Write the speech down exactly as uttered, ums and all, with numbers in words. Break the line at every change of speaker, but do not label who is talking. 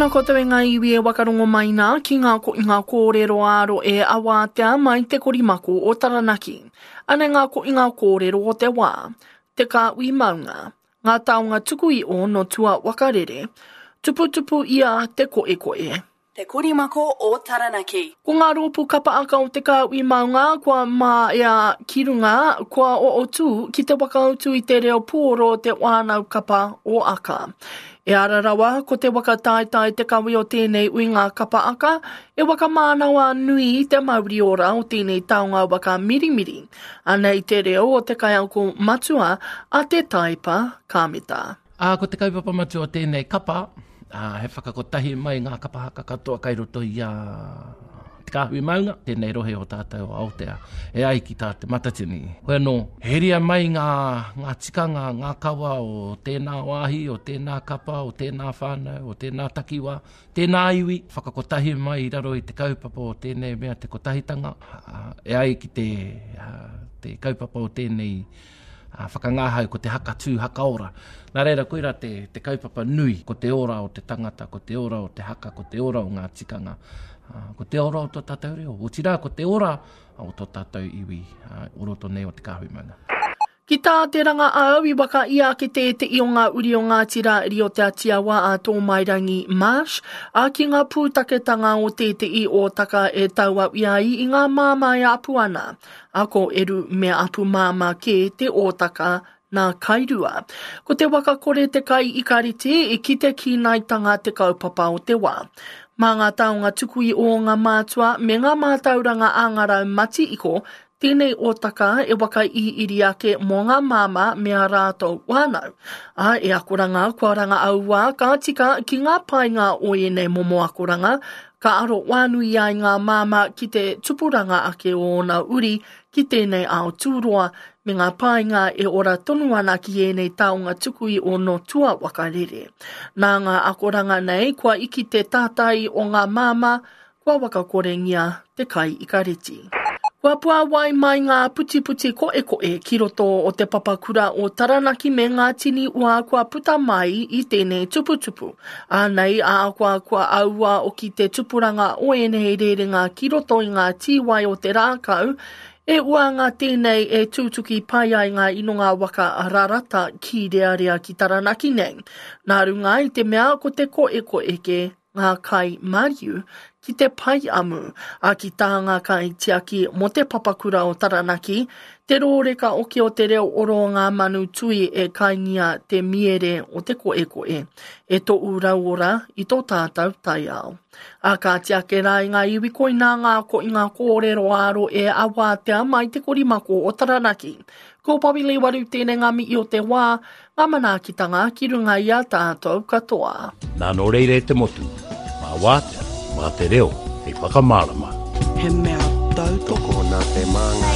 Tēnā koutou e ngā iwi e wakarongo mai nā ki ngā ko ngā kōrero āro e awātea mai te korimako o Taranaki. Anei ngā ko ngā kōrero o te wā, te kāhui maunga, ngā taonga tuku i o no tua wakarere, tuputupu ia te koekoe.
Te korimako o Taranaki.
Ko ngā rōpū kapa aka o te kāhui maunga kua māia ki runga, kua o tū ki te wakautu i te reo pōro te wānau kapa o aka. E ara rawa, ko te waka taitai te kawe o tēnei ui ngā kapa aka, e waka mānawa nui i te mauri ora o tēnei taonga waka mirimiri. Anei te reo o te kaiako matua a te Taipa Kameta.
Ā, ko te kaupapa matua o tēnei kapa, ā, he whakakotahi mai ngā kapa haka katoa kai roto i a Te Kāhui Maunga, tēnei rohe o tātou o Aotea, e ai ki tā Te Matatini. Hoi anō, heria mai ngā, ngā tikanga, ngā kawa o tēnā wāhi, o tēnā kapa, o tēnā whānau, o tēnā takiwā, tēnā iwi, whakakotahi mai i raro i te kaupapa o tēnei mea te kotahitanga, ā, e ai ki te, ā, te kaupapa o tēnei ā, whakangahau ko te haka tū haka ora. Nā reira, koira te, te kaupapa nui, ko te ora o te tangata, ko te ora o te haka, ko te ora o ngā tikanga, ā, ko te ora o tō tātou reo, otirā ko te ora o tō tātou iwi, ā, o roto nei o Te Kāhui Maunga.
Ki tā te ranga au i waka ia ki te te i o ngā uri o Ngāti Rāiri o Te Atiawa a Tōmairangi Marsh, a ki ngā pūtaketanga o te te i o taka e taua ia i i ngā māmā e apu ana. A ko eru me apu māmā ke te ōtaka nā kairua. Ko te waka kore te kai i kariti i ki te kīnaitanga te kaupapa o te wā. Mā ngā taonga tuku i o ngā mātua me ngā mātauranga a ngā rau mati iko, tēnei ōtaka e waka i iri ake mō ngā māmā me a rātou wānau. A e akoranga kua ranga aua ka tika ki ngā painga o ēnei momo akoranga, ka aro wānui ai ngā māmā ki te tupuranga ake o ōna uri ki tēnei ao tūroa me ngā painga e ora tonu ana ki ēnei taonga tuku i o no tua wakarere. Nā ngā akoranga nei kua iki te tātai o ngā māmā, kua wakakorengia te kai i kareti. Kua puāwai mai ngā putiputi koekoe ki roto o te papakura o Taranaki me ngā tini ua kua puta mai i tēnei tuputupu. Ānei a kua kua aua o ki te tupuranga o ēnei rerenga ki roto i ngā tīwai o te rākau, e uanga tēnei e tūtuki pai ai ngā inonga waka rarata ki rearea ki Taranaki nei. Nā runga i te mea ko te koekoe ke ngā kai mariu ki te pai amu, a ki tā ngā kai tiaki mō te papakura o Taranaki, te rōreka oki o te reo oro o ngā manu tui e kaingia te miere o te koekoe, e tō rauora i tō tātou taiao. A ka tiake rā i ngā iwi koinā ngā ko i ngā kōrero āro e awātea mai te korimako o Taranaki. Ko Pawili Waru tēnei ngā mihi o te wā, ngā manaakitanga ki runga i a tātou katoa.
Nā nō reira e te motu, mā wātea, mā te reo, hei whakamārama.
He mea tautoko
Tokona te māngai.